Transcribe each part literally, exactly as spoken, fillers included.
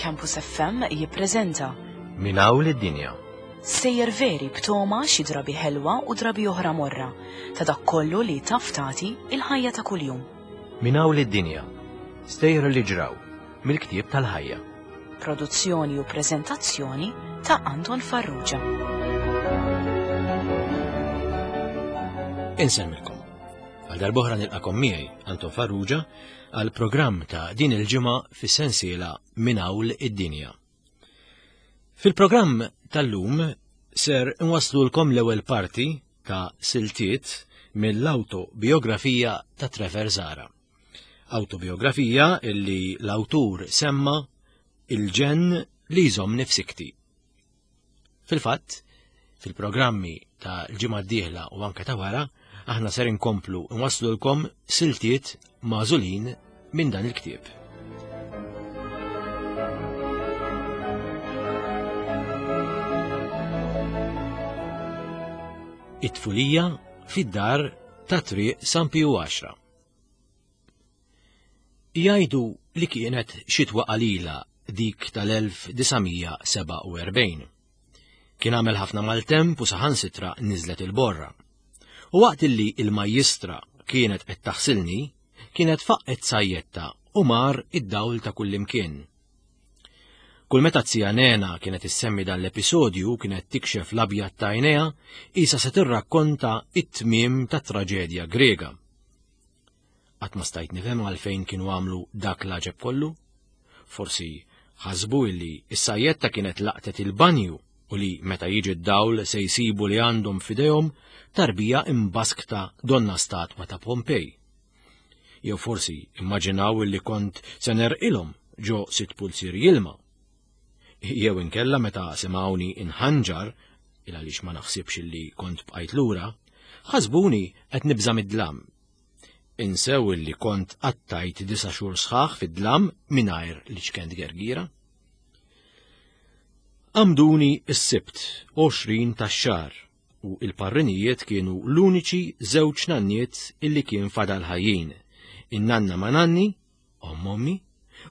Campus F M jippreżenta Minn hawn lid-dinja. Sejjer veri b'toma xi drabi ħelwa u drabi oħra morra ta' dak kollu li taf tagħti il-ħajja ta' kuljum. Minn hawn lid-dinja. Stejjer li ġraw mill-ktieb tal-ħajja. Produzzjoni u preżentazzjoni ta' Anton Farrugia. Insemmilkom. Għal darb'oħra nilqakom miegħi Anton Farrugia għal programm ta' din il-ġimgħa fis-sensiela Minn hawn id-dinja. Fil-programm tal-lum ser nwaslulkom l-ewwel parti ta' siltiet mill-autobiografija ta' Trevor Zahra. Autobiografija illi l-awtur semma il-ġenn li jżomm nifsikti. Fil-fatt, fil-programmi ta' l-ġimgħa d-dieħla u anke ta' wara, aħna ser inkomplu nwaslulkom siltiet magħżulin minn dan il-ktieb. It-tfulija fid-dar ta' triq San Piju għaxra. Jgħidu li kienet xitwa qalila dik tal-elf disa' seba' u erbgħin. Kien għamel ħafna maltemp u saħansitra niżlet il-borra. U waqt illi il-majjistra kienet qed taħsilni, kienet faqqet sajjetta u mar id-dawl ta' kullimkien. Kull meta zija Nena kienet issemmi dan l-episodju kienet tikxef l-abjad ta' għajnejha, isa se tirrakkonta it-tmiem ta' traġedja Grega. Qatt ma stajt nifhem għalfejn kienu għamlu dak l-għaġeb kollu. Forsi ħasbu illi s-sajjetta kienet laqtet il-banju u li meta jiġi d-dawl se jsibu li għandhom f'idejhom tarbija imbaskta donna statwa ta' Pompej. Jew forsi immaġinaw illi kont se nerqilhom ġo sitt pulzier jilma. Jew inkella meta semgħuni inħanġar, il għaliex ma naħsibx illi kont bqajt lura, ħasbuni qed nibża' mid-dlam. Insew illi kont qattajt disa' xhur sħaħ fid-dlam mingħajr li ċkent gergira. Għamduni s-Sibt għoxrin tax-xahar u il-parrinijiet kienu l-uniċi żewġ nanniet illi kien fadal ħajjin, in-nanna ma' nanni, omm ommi,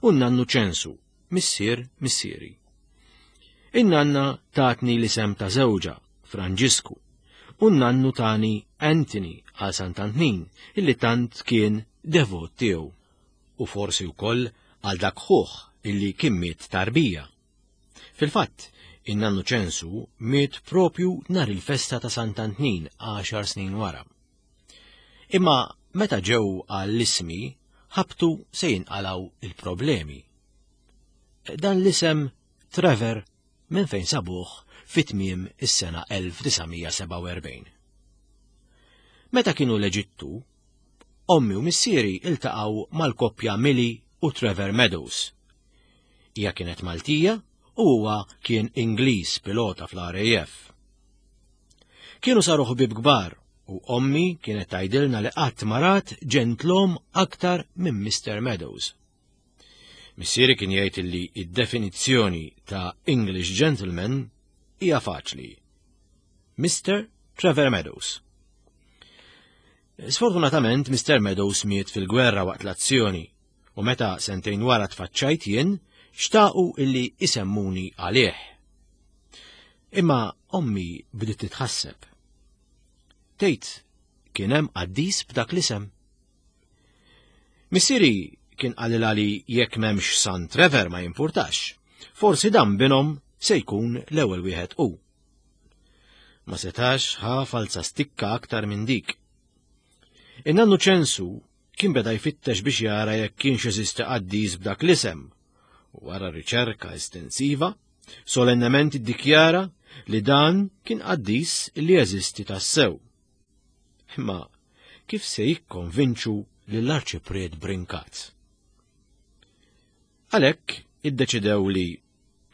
u n-nannu Ċensu, missier missieri. In-nanna tatni l-isem ta' żewġha, Franġisku, u n-nannu tani Anthony għal Sant'Antnin, illi tant kien devot tiegħu, u forsi wkoll għal dak ħuh illi kien miet tarbija. Fil-fatt, in-nannu Ċensu miet propju nhar il-festa ta' Sant'Antnin għaxar snin wara. Imma meta ġew għall-ismi, ħabtu se jinqalaw il-problemi. Dan l-isem Trevor minn fejn sabuh fit-tmiem is-sena elf disa' seba' u erbgħin. Meta kienu l-Eġittu, ommi u missieri iltaqgħu mal-koppja Millie u Trevor Meadows. Hija kienet Maltija u huwa kien Ingliż pilota fl-R A F. Kienu saru ħbieb kbar u ommi kienet tgħidilna li qatt ma rat ġentlom aktar minn Mister Meadows. Missieri kien jgħid li id-definizzjoni ta' English gentleman hija faċli. Mister Trevor Meadows. Sfortunatament, Mister Meadows miet fil-gwerra waqt l-azzjoni u meta sentejn wara tfaċċajt jien, xtaqu illi isemmuni għalih. Imma ommi bdiet titħasseb. Tgħid kien hemm qaddis b'dak l-isem. Missieri kien qalilha li jekk m'hemmx San Trevor ma jimpurtax, forsi dan binhom se jkun l-ewwel wieħed hu. Ma setax ħa falza stikka aktar minn dik. In-nannu Ċensu kien beda jfittex biex jara jekk kienx jeżisti qaddis b'dak l-isem. U wara riċerka estensiva, solennement iddikjara li dan kien qaddis li jeżisti tassew. Imma kif se jikkonvinċu lill-Arċipriet Brincat? Għalhekk iddeċidew li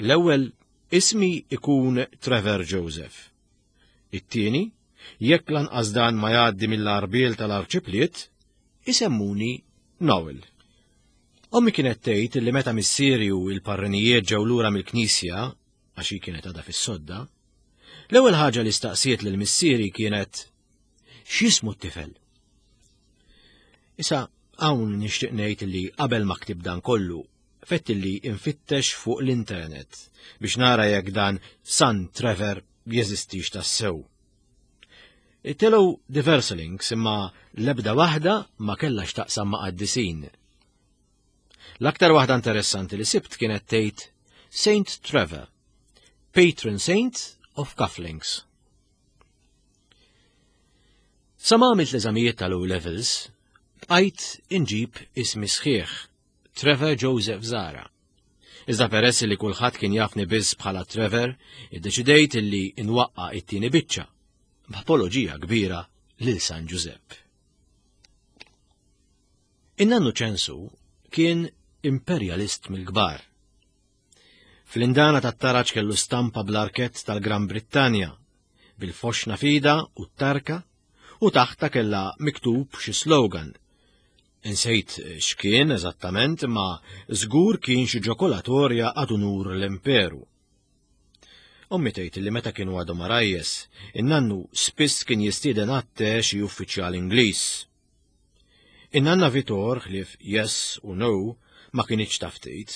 l-ewwel ismi ikun Trevor Joseph. It-tieni, jekk lanqas dan ma jgħaddi mill-arbiel tal-Arċipriet, isemmuni Noel. Ommi kienet tgħid li meta missieri u l-parrinijiet ġew lura mill-knisja, għax hi kienet għadha fis-sodda, l-ewwel ħaġa li staqsiet lil missieri kienet x'jismu t-tifel? Issa hawn nixtieq ngħid li qabel ma ktib dan kollu, fettilli infittex fuq l-internet biex nara jekk dan San Trevor jeżistix tassew. Telgħu diversi links imma l-ebda waħda ma kellha x'taqsam ma' qaddisin. L-aktar waħda interessanti li sibt kienet tgħid Saint Trevor, Patron Saint of Cufflinks. Sa ma għamilt l-eżamijiet tal-O Levels, bqajt inġib ismi sħiħ, Trevor Joseph Zara. Iżda peress li kulħadd kien jafni biss bħala Trevor, iddeċidejt li nwaqqa' it-tieni biċċa, b'apoloġija kbira lil San Giuseppe. In-nannu Ċensu kien imperjalist mill-kbar. Fl-indana tat-taraġ kellu stampa bl-arkett tal-Gran Brittanja, bil-foxna fida u t-tarka, u taħta kellha miktub xi slogan. Insejt x'kien eżattament, ma żgur kien xi ġokolatorja ad unur l-imperu. Ommi tgħid li meta kienu għadhom għarajjes, in-nannu spiss kien jistieden għat-te xi uffiċjal Ingliż. In-nanna Vitor ħlief yes u no ma kinitx taf tgħid,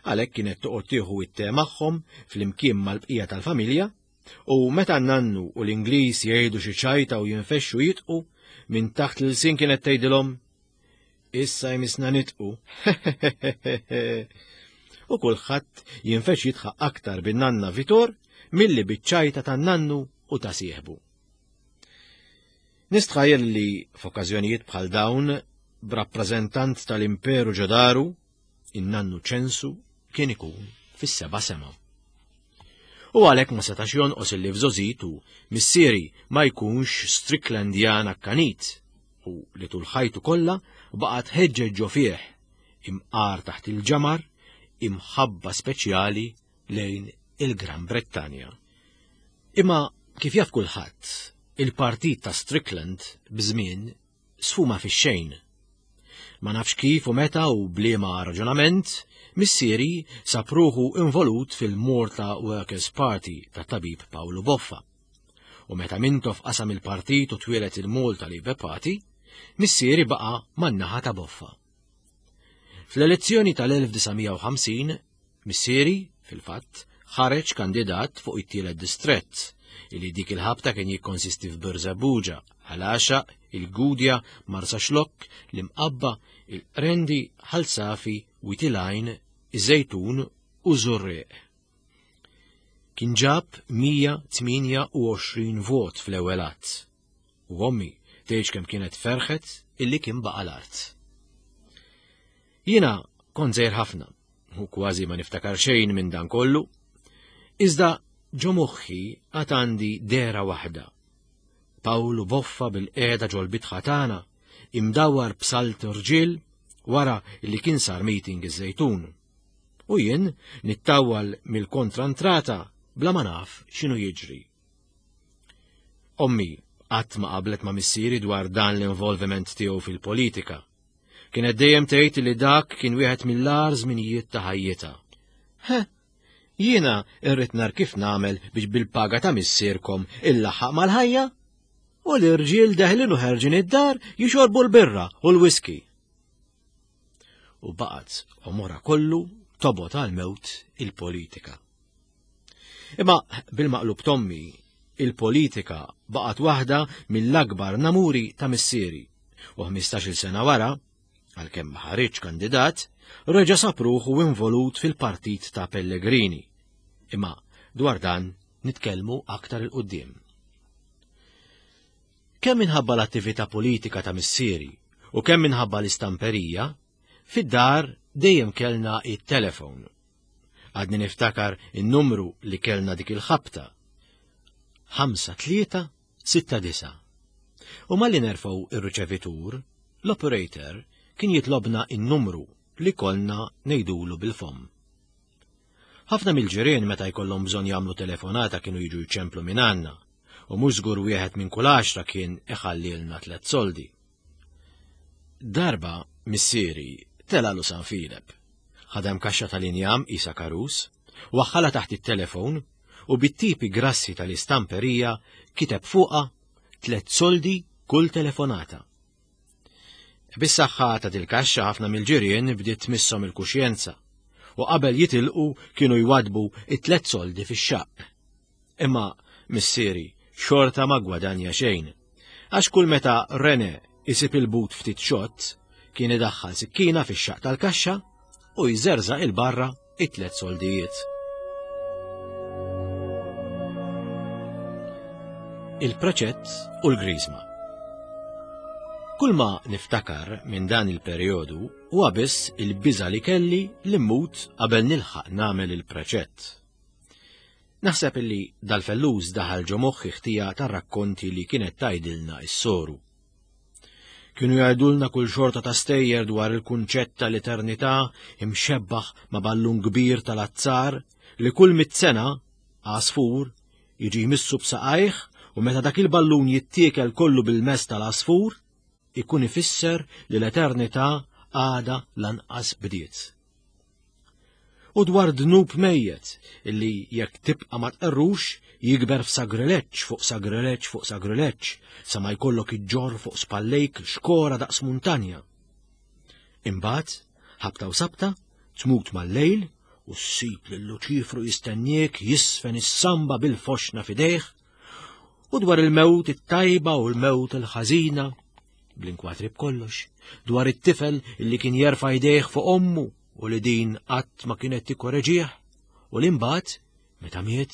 għalhekk kienet toqgħod tieħu it-te magħhom flimkien mal-bqija tal-familja, u meta n-nannu u l-Ingliż jgħidu xi ċajta u jinfexxu jitqu, minn taħt l-ilsien kienet tgħidilhom issa jmissna nitqu. U kulħadd jinfex jidħaq aktar bin-nanna Vitor milli biċ-ċajta tan-nannu u ta' sieħbu. Nistħajjel li f'okkażjonijiet bħal dawn b'rappreżentant tal-Imperu ġodaru, in-nannu Ċensu kien ikun fis-seba' sema. U għalhekk ma setax jonqos illi f'żożitu missieri ma jkunx Stricklandjan akkanit u li tul ħajtu kollha baqgħet ħeġġeġ ġo fih imqar taħt il-ġamar imħabba speċjali lejn il-Gran Brittanja. Imma kif jaf kulħadd, il-partit ta' Strickland b'żmien sfuma fix-xejn. Ma nafx kif u meta u bliema raġunament, missieri sab ruħu involut fil-Malta Workers' Party ta' tabib Pawlu Boffa. U meta Mintoff qasam il-partit u twieled il-Malta Labour Party, missieri baqa' man-naħa ta' Boffa. Fl-elezzjoni tal-elf disa' mija u ħamsin, missieri, fil-fatt, ħareġ kandidat fuq it-tielet distrett, illi dik il-ħabta kien jikkonsisti f'Birżebbuġa, Ħal Għaxaq, il-Gudja, Marsaxlokk, l-Imqabba, il-Qrendi, Ħal Safi, Wied il-Għajn, iż-Żejtun u Żurrieq. Kien ġab mija tmienja u għoxrin vot fl-ewwel att. U ommi tgħidx kemm kienet ferħet illi kien baqa' l-art. Jiena kont żgħir ħafna u kważi ma niftakar xejn minn dan kollu, iżda ġo moħħi għad għandi dehra waħda. Pawlu Boffa bil-qiegħda ġol-bitħa tagħna, imdawwar b'salt irġiel wara li kien sar meeting iż-Żejtun. U jien nittawwal mill-kontrantrata bla ma naf x'inhu jiġri. Ommi qatt ma qablet ma' missieri dwar dan l-involviment tiegħu fil-politika. Kienet dejjem tgħid li dak kien wieħed mill-agħar żminijiet ta' ħajjitha. Heh, jiena rrid nar kif nagħmel biex bil-paga ta' missierkom illaħħaq mal-ħajja? U l-irġiel deħlin u ħerġin id-dar jixorbu l-birra u l-whisky. U baqgħet għomorha kollu tobgħod għal-mewt il-politika. Imma bil-maqlub tommi, il-politika baqgħet waħda mill-akbar namuri ta' missieri u ħmistax-il sena wara, għalkemm ma ħareġ kandidat, reġa' sab ruħu involut fil-partit ta' Pellegrini. Imma dwar dan nitkellmu aktar il-qudiem. Kemm minħabba l-attività politika ta' missieri u kemm minħabba l-istamperija, fid-dar dejjem kellna it-telefon. Għadni niftakar in-numru li kellna dik il-ħabta. Ħamsa tlieta sitta disa. U malli nerfgħu ir-riċevitur, l-operator kien jitlobna in-numru li konna ngħidulu bil-fomm. Ħafna mill-ġirien meta jkollhom bżonn jagħmlu telefonata kienu jiġu jċemplu minn għandna, u mhux żgur wieħed minn kull għaxra kien iħallilna tliet soldi. Darba missieri telalu San Filep, ħadem kaxxa tal-injam isa karus, waħħala taħt it-telefon u bit-tipi grassi tal-istamperija kiteb fuqha tliet soldi kull telefonata. Bis-saħħa ta' dil-kaxxa ħafna mill-ġirien bdiet tmisshom il-kuxjenza U qabel jitilqu kienu jwadbu it-tlet soldi fix-xaqq. Imma missieri xorta ma gwadanja xejn. Għax kull meta Rene isib il-but ftit xott, kien idaħħal sikkina fix-xaqq tal-kaxxa u jżerżaq il-barra it-tlet soldijiet. Il-preċett u l-griżma. Kull ma niftakar minn dan il-perjodu huwa biss il-biża' li kelli li mmut qabel nilħaq nagħmel il-preċett. Naħseb illi dal-fellus daħal ġo moħħi ħtija tar-rakkonti li kienet tgħidilna s-soru. Kienu jgħidulna kull xorta ta' stejjer dwar il-kunċett tal-eternità imxebbaħ ma' ballun kbir tal-azzar li kull mitt sena għasfur jiġi jmissu b'saqajh u meta dak il-ballun jittiekel kollu bil-mess tal-għasfur ikun ifisser li l-eternità għada lanqas bdiet. U dwar dnub mejjet illi jekk tibqa' ma tqerrux jikber f'sagrileġġ fuq sagrileġġ fuq sagrileġġ sa ma jkollok iġġorr fuq spallejk xkora daqs muntanja. Imbagħad, ħabta u sabta, tmut mal-lejl u ssib lil Luċifru jistenniek jisfen is-samba bil-foxna f'idejh, u dwar il-mewt it-tajba u l-mewt il-ħażina, bl-inkwatri b'kollox, dwar it-tifel illi kien jerfa' jdejh fuq ommu u li din qatt ma kienet tikkoreġih, u li mbagħad, meta miet,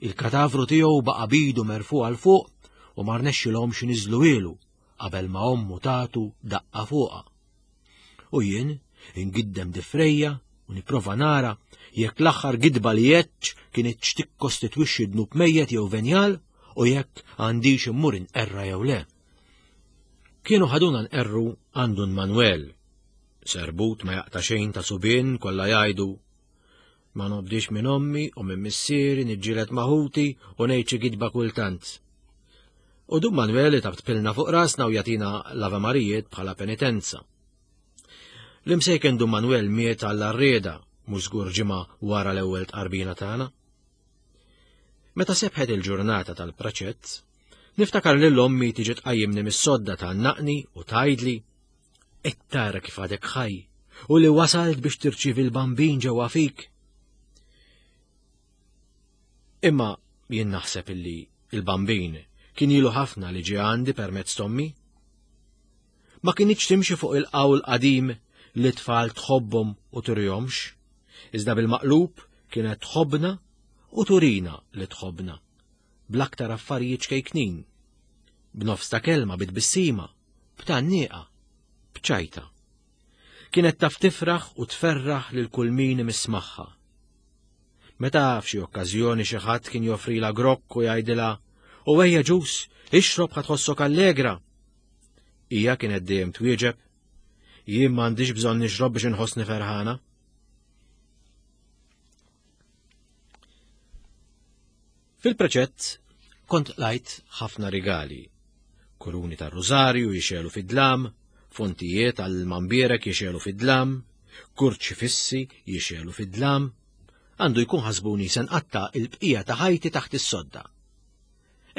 il-katavru tiegħu baqa' bidu merfu' għal fuq u ma rnexxilhomx iniżluhielu qabel ma ommu tagħtu daqqa fuqha. U jien ingiddem difrejja u nipprova nara jekk l-aħħar gidba li għedtx kienet x'tikkostitwixxi dnub mejjet jew venjal u jekk għandix immur inqerra jew le. Kienu ħaduna nqerru għandu Manuel, serbut ma jaqta' xejn ta' subien kollha jgħidu ma nobdix minn ommi u minn missieri niġġieled ma' ħuti u ngħid xi gidba kultant. U Dun Manuel tabtpilna fuq rasna u jagħtina l-Ave Marijiet bħala penitenza. L-imsejken Dun Manuel miet għall-arrieda mhux żgur ġimgħa wara l-ewwel tqarbina tagħna. Meta sebħet il-ġurnata tal-preċett, niftakar lil ommi tiġi tqajjimni mis-sodda tgħannaqni u tgħidli qed tara kif għadek ħaj u li wasalt biex tirċievi l-bambin ġewwa fik. Imma jien naħseb illi il-bambin kien ilu ħafna li ġie għandi permezz t'ommi. Ma kinitx timxi fuq il-qawl qadim li tfal tħobbhom u turihomx, iżda bil-maqlub kienet tħobbna u turina li tħobbna bl-aktar affarijiet ċkejknin, b'nofs ta' kelma bit-tbissima, b'tgħannieqa, b'ċajta. Kienet taf tifraħ u tferraħ lil kull min imiss magħha. Meta f'xi okkażjoni xi ħadd kien joffrilha grokk u jgħidilha u ejja ġus, ixrob ħa tħossok allegra. Hija kienet dejjem twieġeb, jien m'għandix bżonn nixrob biex inħossni ferħana. Fil-preċett kont lajt ħafna rigali, kuruni tar-rużarju jixelu fid-dlam, fontijiet għall-mambierek jixelu fid-dlam, kurċifissi jixelu fid-dlam. Għandu jkun ħasbuni se nqatta' il-bqija ta' ħajti taħt is-sodda.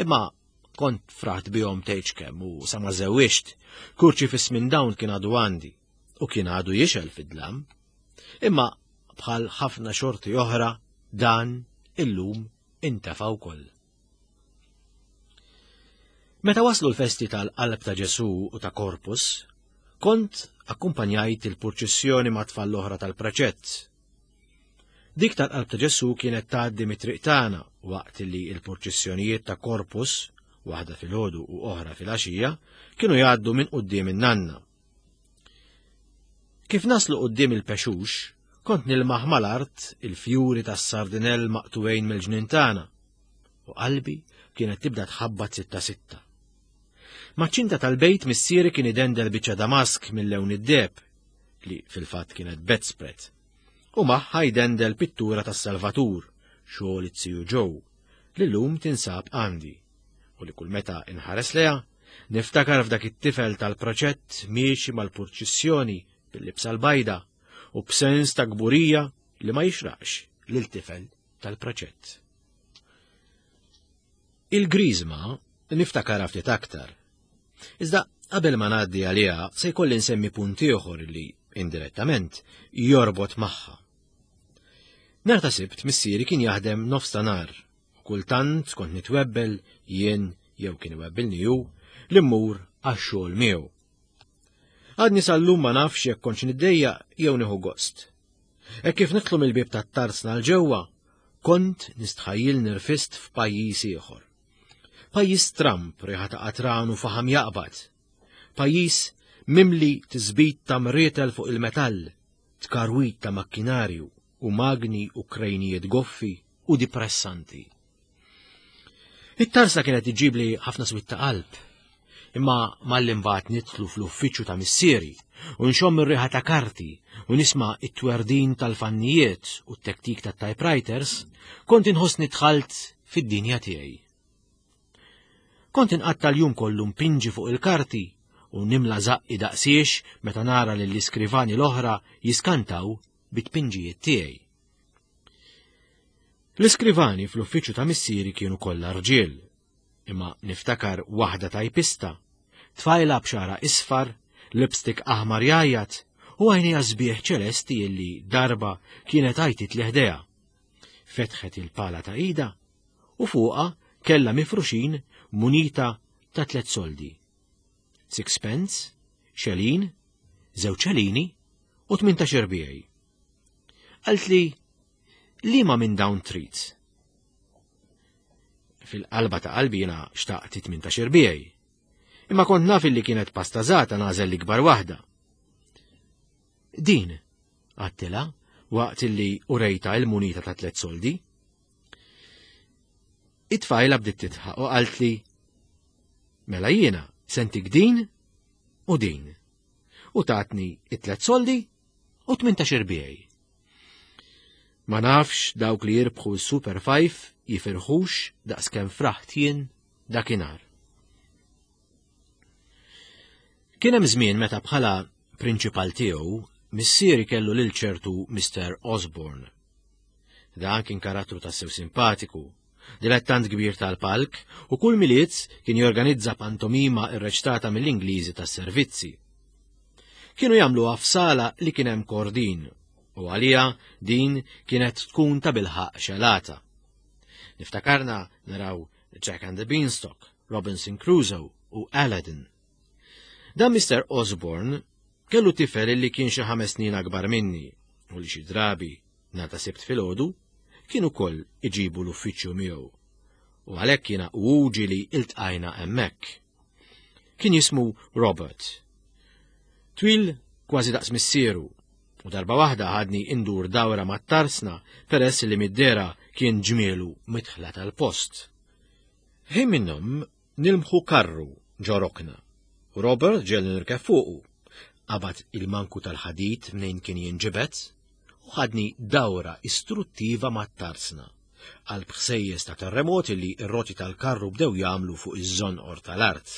Imma kont fraħt bihom tgħidx kemm u sa ma żewwiġt, kurċifiss minn dawn kien għadu għandi u kien għadu jixel fid-dlam. Imma bħal ħafna xorti oħra dan illum intefa' wkoll. Meta waslu l-festi tal-Qalb ta' Ġesù u ta' Corpus, kont akkumpanjajt il-purċissjoni ma' tfal l-oħra tal-preċett. Dik tal-Qalb ta' Ġesù kienet tgħaddi mit-triq tagħna waqt li l-purċissjonijiet ta' Corpus, waħda filgħodu u oħra filgħaxija, kienu jgħaddu minn quddiem in-nanna. Kif naslu quddiem il-pexux, kont nilmaħ mal-art il-fjuri tas-sardinell maqtuwejn mill-ġnien tagħna, u qalbi kienet tibda tħabbat sitta sitta. Maċ-ċinta tal-bejt missieri kien idendel biċċa damask mill-lewn id-deheb, li fil-fatt kienet bedspread, u magħha jdendel pittura tas-Salvatur, xogħol it-siju Joe, li llum tinsab għandi, u li kull meta inħares leha, niftakar f'dak it-tifel tal-proċett miexi mal-purċissjoni bil-libsa l-bajda u b'sens ta' kburija li ma jixraqx lil tifel tal-proċett. Il-griżma niftakar ftit aktar. Iżda qabel ma ngħaddi għaliha se jkolli nsemmi punt ieħor li indirettament jorbot magħha. Nhar ta' Sibt missieri kien jaħdem nofs ta' nhar u kultant kont nitwebbel jien jew kien iwebbilni hu li mmur għax-xogħol miegħu. Għadni sal-lum ma nafx jekk kontx niddejjaq jew nieħu gost. Hekk kif nidħlu mill-bieb tat-tarzna 'l ġewwa, kont nistħajjil nirfist f'pajjiż ieħor. Pajjiż stramb, riħa ta' qatran u faħam jaqbad. Pajjiż mimli tisbit ta' mrietel fuq il-metall, tkarwit ta' makkinarju u magni u krejnijiet goffi u dipressanti. It-tarzna kienet iġibli ħafna swied ta' qalb, imma malli mbagħad nidħlu fl-uffiċċju ta' missieri u nxomm ir-riħa ta' karti u nisma' it-twerdin tal-fannijiet u t-tektik tat-typewriters, kont inħossni dħalt fid-dinja tiegħi. Kont inqatta' l-jum kollu mpinġi fuq il-karti u nimla żaqqi daqsiex meta nara lill-iskrivani l-oħra jiskantaw bit-tpinġijiet tiegħi. L-iskrivani fl-uffiċċju ta' missieri kienu kollha rġiel, imma niftakar waħda tajpista, tfajla b'xagħarha isfar, lipstick aħmar jgħajjat u għajnejha sbieħ ċelesti illi darba kienet għajtitli ħdejha. Fetħet il-pala ta' idha u fuqha kellha mifruxin munita ta' tliet soldi. Sixpence, xelin, żewġ xelini u tmintax irbiegħi. Qaltli, liema minn dawn trid? Fil-qalba ta' qalbi jiena xtaqt tmintax irbiegħi. Imma kont naf li kienet pastażata nagħżel l-ikbar waħda. Din, għedtilha, waqt illi urejtha il-munita ta' tliet soldi. It-tfajla bdiet tidħaq u qaltli, mela jiena se ntik din u din. U tatni it-tliet soldi u tmintax irbiegħi. Ma nafx dawk li jirbħu s-Super Five jifirħux daqskemm fraħt jien dakinhar. Kien hemm żmien meta bħala prinċipal tiegħu missieri kellu lil ċertu Mister Osborne. Dan kien karattru tassew simpatiku, dilettant kbir tal-palk u kull Milied kien jorganizza pantomima irreċtata mill-Ingliżi tas-servizzi. Kienu jagħmluha f'sala li kien hemm kordin u għalija din kienet tkun ta' bilħaq xelata. Niftakarna naraw Jack and the Beanstalk, Robinson Crusoe u Aladdin. Dan Mister Osborne kellu tifel li kien xi ħames snin akbar minni u li xi drabi nhar ta' Sibt filgħodu kien ukoll iġibu l-uffiċċju miegħu. U għalhekk jiena u ġieli iltqajna hemmhekk. Kien jismu Robert. Twil kważi daqs missieru u darba waħda ħadni indur dawra mat-tarsna peress li mid-dehra kien ġmielu midħla tal-post. Ħin minnhom nilmħu karru ġo rokna. Robert ġiegħelni nirkeb fuqu. Qabad il-manku tal-ħadid mnejn kien jinġibed u ħadni dawra istruttiva mat-tarsna għal bħsejjes ta' terremoti li r-roti tal-karru bdew jagħmlu fuq iż-żonqor tal-art.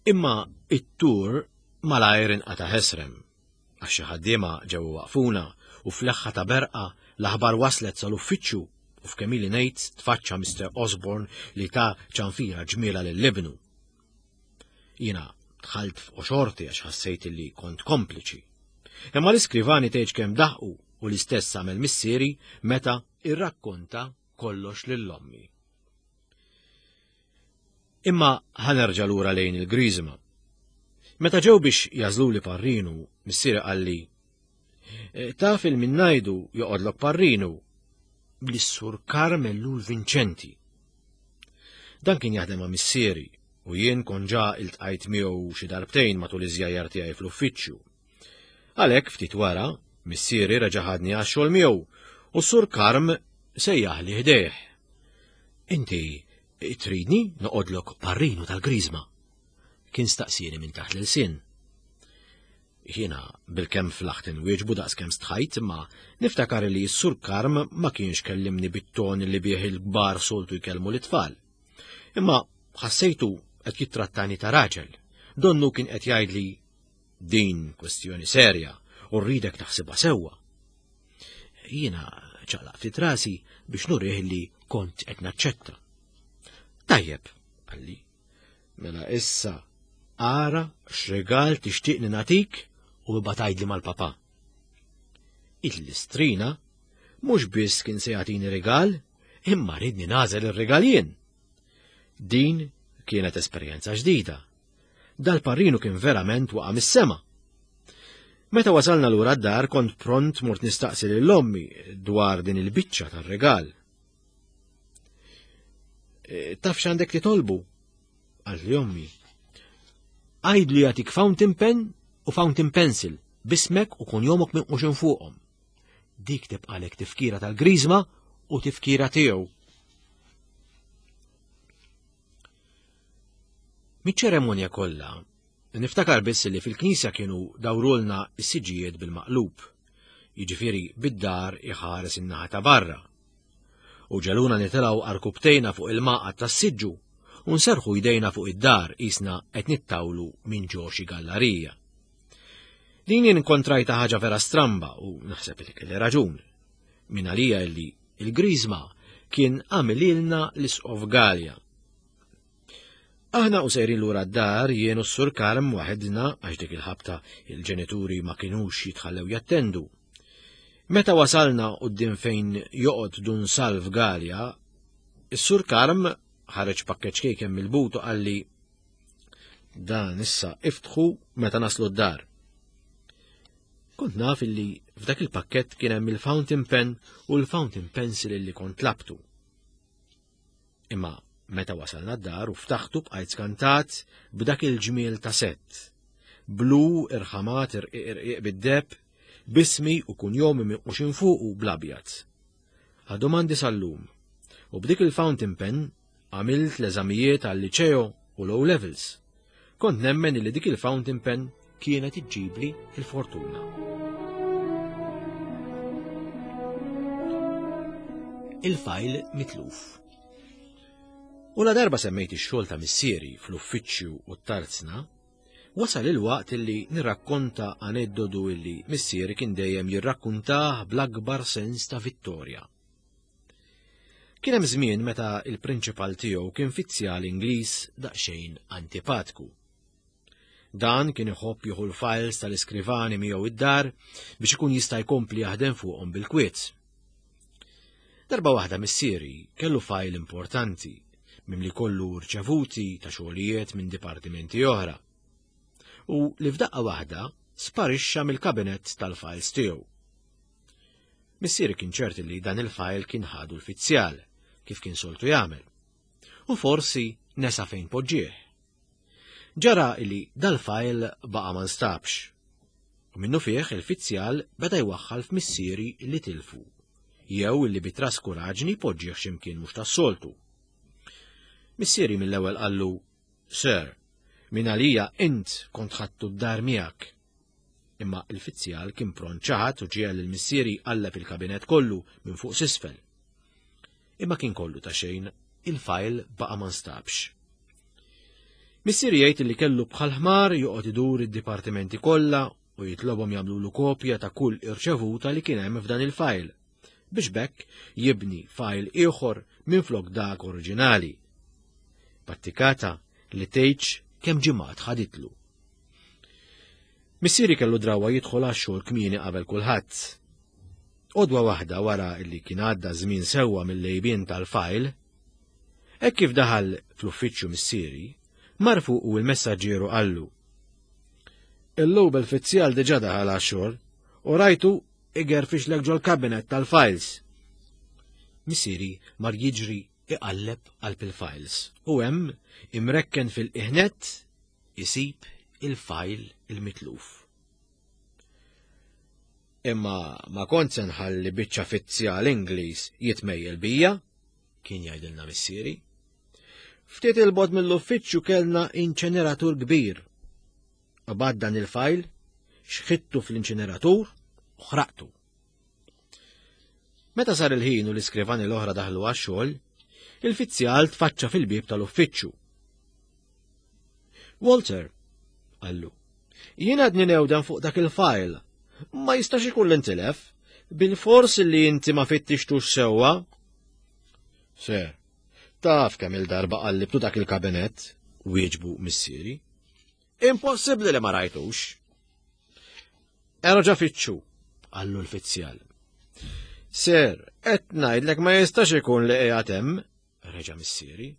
Imma it-tur malajr inqata' ħesrem, għax xi ħaddiema ġew waqfuna u fl-leħħa ta' berqa l-aħbar waslet sal-uffiċċju u f'kemm ili ngħid tfaċċa Mister Osborne li ta' ċanfira ġmiela lil ibnu. Jiena dħalt f'qoxorti għax ħassejt li kont kompliċi. Imma l-iskrivani tgħidx kemm daħqu u l-istess għamel missieri meta irrakkonta kollox lil ommi. Imma ħanerġa' lura lejn il-Griżma. Meta ġew biex jażluli parrinu, missieri qalli, taf il-minnajdu joqgħodlok parrinu bl-Sur Carmel Vincenti. Dan kien jaħdem ma' missieri u jien kont ġa iltqajt miegħu xi darbtejn matul iż-żjajjar tiegħi fl-uffiċċju. Għalhekk ftit wara, missieri reġa' ħadni għax-xogħol miegħu u s-Sur Karm sejjaħli ħdejh. Inti tridni noqgħodlok parrinu tal-Griżma? Kien staqsieni minn taħt l-ilsien. Jiena bilkemm flaħt inwieġbu daqskemm stħajt, imma niftakar li s-Sur Karm ma kienx kellimni bit-ton li bih il-kbar soltu jkellmu l-itfal. Imma ħassejtu qed jittrattani ta' raġel. Donnu kien qed jgħidli din kwestjoni serja u rridek taħsibha sewwa. Jiena ċaqlaq ftit rasi biex nurih li kont qed naċċetta. Tajjeb, qalli. Mela issa ara x'regal tixtieqni nagħtik u ibgħat għidli mal-papa. Il-listrina Mhux biss kien se jagħtini rigal, imma ridni nagħżel ir-rigal jien. Din kienet esperjenza ġdida. Dal-parrinu kien verament waqa' mis-sema. Meta wasalna lura d-dar kont pront mort nistaqsi lil ommi dwar din il-biċċa tar-rigal. E, taf x'għandek titolbu? Qaltli ommi. Għidlu jagħtik fountain pen u fountain pencil b'ismek u kunjomok minquxin fuqhom. Dik tibqalek tifkira tal-griżma u tifkira tiegħu. Miċ-ċeremonja kollha, niftakar biss li fil-knisja kienu dawrulna s-siġijiet bil-maqlub, jiġifieri bid-dar iħares in-naħa ta' barra. U ġeluna nitilgħu arkubtejna fuq il-maqgħad tas-siġġu u nserħu jdejna fuq id-dar qisna qed nittawlu minn ġo xi gallarija. Din jien inkontrajta ħaġa vera stramba u naħseb li kelli raġun. Min għalija li il-griżma kien għamililna l-Isqof Galea. Aħna u sejrin lura d-dar jien u s-Sur Karm waħedna għax dik il-ħabta il-ġenituri ma kinux jitħallew jattendu. Meta wasalna quddiem fejn joqgħod Dun Salv Galea, is-Sur Karm ħareġ pakkeġġ kejken mill-but u qalli dan issa iftħu meta naslu d-dar. Kont naf illi f'dak il-pakkett kien hemm il-fountain pen u l-fountain pencil illi kont tlabtu. Imma meta wasalna d-dar u ftaħtu bqajt skantat b'dak il-ġmiel ta' sett. Blu irħamat irqiq irqiq bid-deb, bismi u kunjomi minquxin fuqu bl-abjad. Għadhom għandi sal-lum. U b'dik il-fountain pen għamilt l-eżamijiet għal-liċeo u l-O levels. Kont nemmen li dik il-fountain pen kienet iġġibli il-fortuna. Il-fajl mitluf. U la darba semmejt ix-xogħol ta' missieri fl-uffiċċju u t-tarzna, wasal il-waqt illi nirrakkonta aneddodu illi missieri kien dejjem jirrakkuntah bl-akbar sens ta' vittorja. Kien hemm żmien meta il-prinċipal tiegħu kien fizzjal Ingliż daqsxejn antipatku. Dan kien iħobb jieħu l-files tal-iskrivani miegħu id-dar biex ikun jista' jkompli jaħdem fuqhom bil-kwiet. Darba waħda missieri kellu fajl importanti mimli kollu rċevuti ta' xogħlijiet minn dipartimenti oħra. U li f'daqqa waħda sparixxa mill-kabinett tal-files tiegħu. Missieri kien ċert li dan il-fajl kien ħadu l-fizzjal, kif kien soltu jagħmel. U forsi nesa fejn poġġieh. Ġara li dal-fajl baqa' ma nstabx. U minnu fih il-fizzjal beda jwaħħal f'missieri li tilfu, jew li bi traskuraġni poġġieh x'imkien mhux tas-soltu. Missieri mill-ewwel qallu, Sir, min għalija int kont ħadtu d-dar miegħek. Imma il-fizzjal kien pront ċaħad u ġiegħel lil missieri qalleb il-kabinett kollu minn fuq s'isfel. Imma kien kollu ta' xejn, il-fajl baqa' ma nstabx. Missieri jgħid li kellu bħal ħmar joqgħod idur id-dipartimenti kollha u jitlobhom jagħmlulu kopja ta' kull irċevuta li kien hemm f'dan il-fajl, biex b'hekk jibni fajl ieħor minflok dak oriġinali. Pattikata li tgħidx kemm ġimgħat ħaditlu. Missieri kellu drawa jidħol għax-xogħol kmieni qabel kulħadd. Odwa waħda wara li kien għadda żmien sewwa mill-lejbien tal-fajl, hekk kif daħal fl-uffiċċju missieri, mar fuqu il-messaġġieru qallu. Illum il-fizzjal diġà daħal għax-xogħol u rajtu igerfixlek ġol-kabinet tal-files. Missieri mar jiġri iqalleb qalb il-files u hemm imrekken fil-iħnet isib il-fajl il-mitluf. Imma ma kont se nħalli biċċa fizzjal Ingliż jitmejjel bija, kien jgħidilna missieri. Ftit il-bogħod mill-uffiċċju kellna inċeneratur kbir. Qabad dan il-fajl, xħittu fl-inċeneratur u ħraqtu. Meta sar il-ħin u l-iskrivani l-oħra daħlu għax-xogħol, il-fizzjal tfaċċa fil-bieb tal-uffiċċju. Walter, qallu, jien għadni newdan fuq dak il-fajl. Ma jistax ikun l-intilef, bil-fors li inti ma fittixtux sewwa. Sir, taf kemm il-darba qallibtu dak il-kabinett, wieġbu missieri. Impossibbli li ma rajtux. Erġa' fittxu, qallu l-fizzjal. Sir, qed ngħidlek ma jistax ikun li qiegħed hemm, reġa' missieri.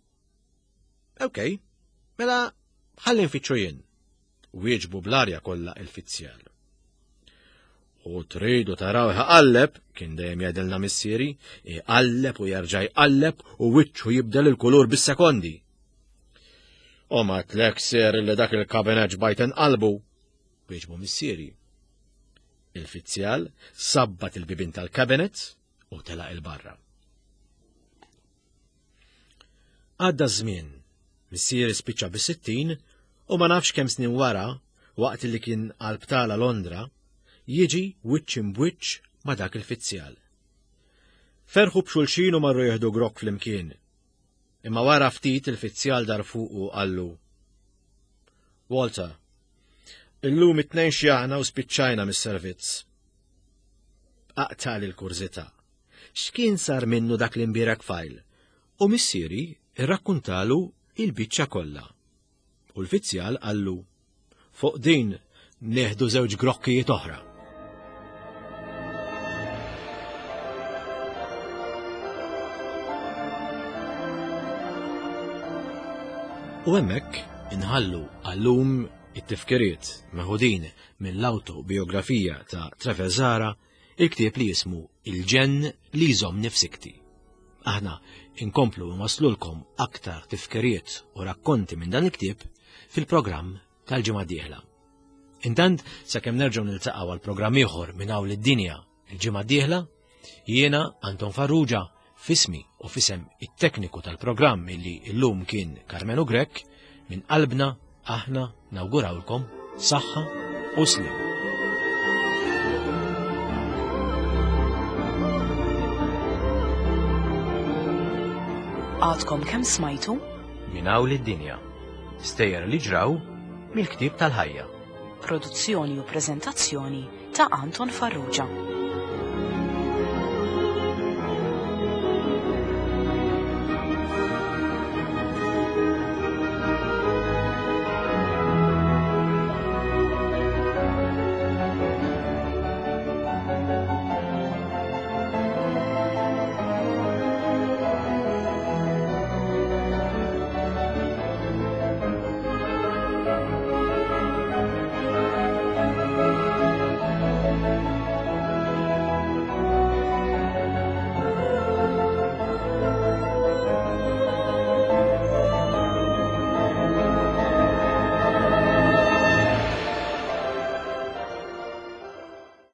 Okej, mela ħalli nfittxu jien, wieġbu bl-arja kollha il-fizzjal. U tridu taraw iqalleb, kien dejjem jgħidilna missieri, iqalleb u jerġa' jqalleb u wiċċu jibdel il-kulur bis-sekondi. U ma tlek sir li dak il-kabinet ġbajt inqalbu, wieġbu missieri. Il-fizzjal sabbat il-bibien tal-kabinet u telaq il-barra. Għadda żmien, missieri spiċċa bis-sittin u ma nafx kemm snin wara, waqt li kien għal-btala Londra, jiġi wiċċ imbwiċċ ma' dak il-fizzjal. Ferħu b'xulxin u marru jieħdu grokk flimkien. Imma wara ftit il-fizzjal dar fuq u qallu: Walter, illum it-tnejn xjaħna u spiċċajna mis-servizz. Aqtali l-kurżità. X'kien sar minnu dak l-imbierek fajl? U missieri irrakkuntalu il-biċċa kollha. U l-fizzjal qallu: Fuq din nieħdu żewġ grokkijiet oħra. U hemmhekk inħallu għallum it-tifkiriet meħudin mill-autobiografija ta' Trevor Zahra, il-ktieb li jismu Il-ġenn li jżommni f'sikti. Aħna inkomplu nwaslulkom aktar tifkiriet u rakkonti minn dan il-ktieb fil-programm tal-ġimgħa d-dieħla. Intant, sakemm nerġgħu niltaqgħu għal programm ieħor minn hawn lid-dinja il-ġimgħa d-dieħla, jiena Anton Farrugia fismi u fisem it-tekniku tal-programm illi llum kien Karmenu Grech, minn qalbna aħna nawgurawlkom saħħa u sliem. Għadkom kemm smajtu? Minn hawn lid-dinja. Stejjer li ġraw mill-ktieb tal-ħajja. Produzzjoni u preżentazzjoni ta' Anton Farrugia.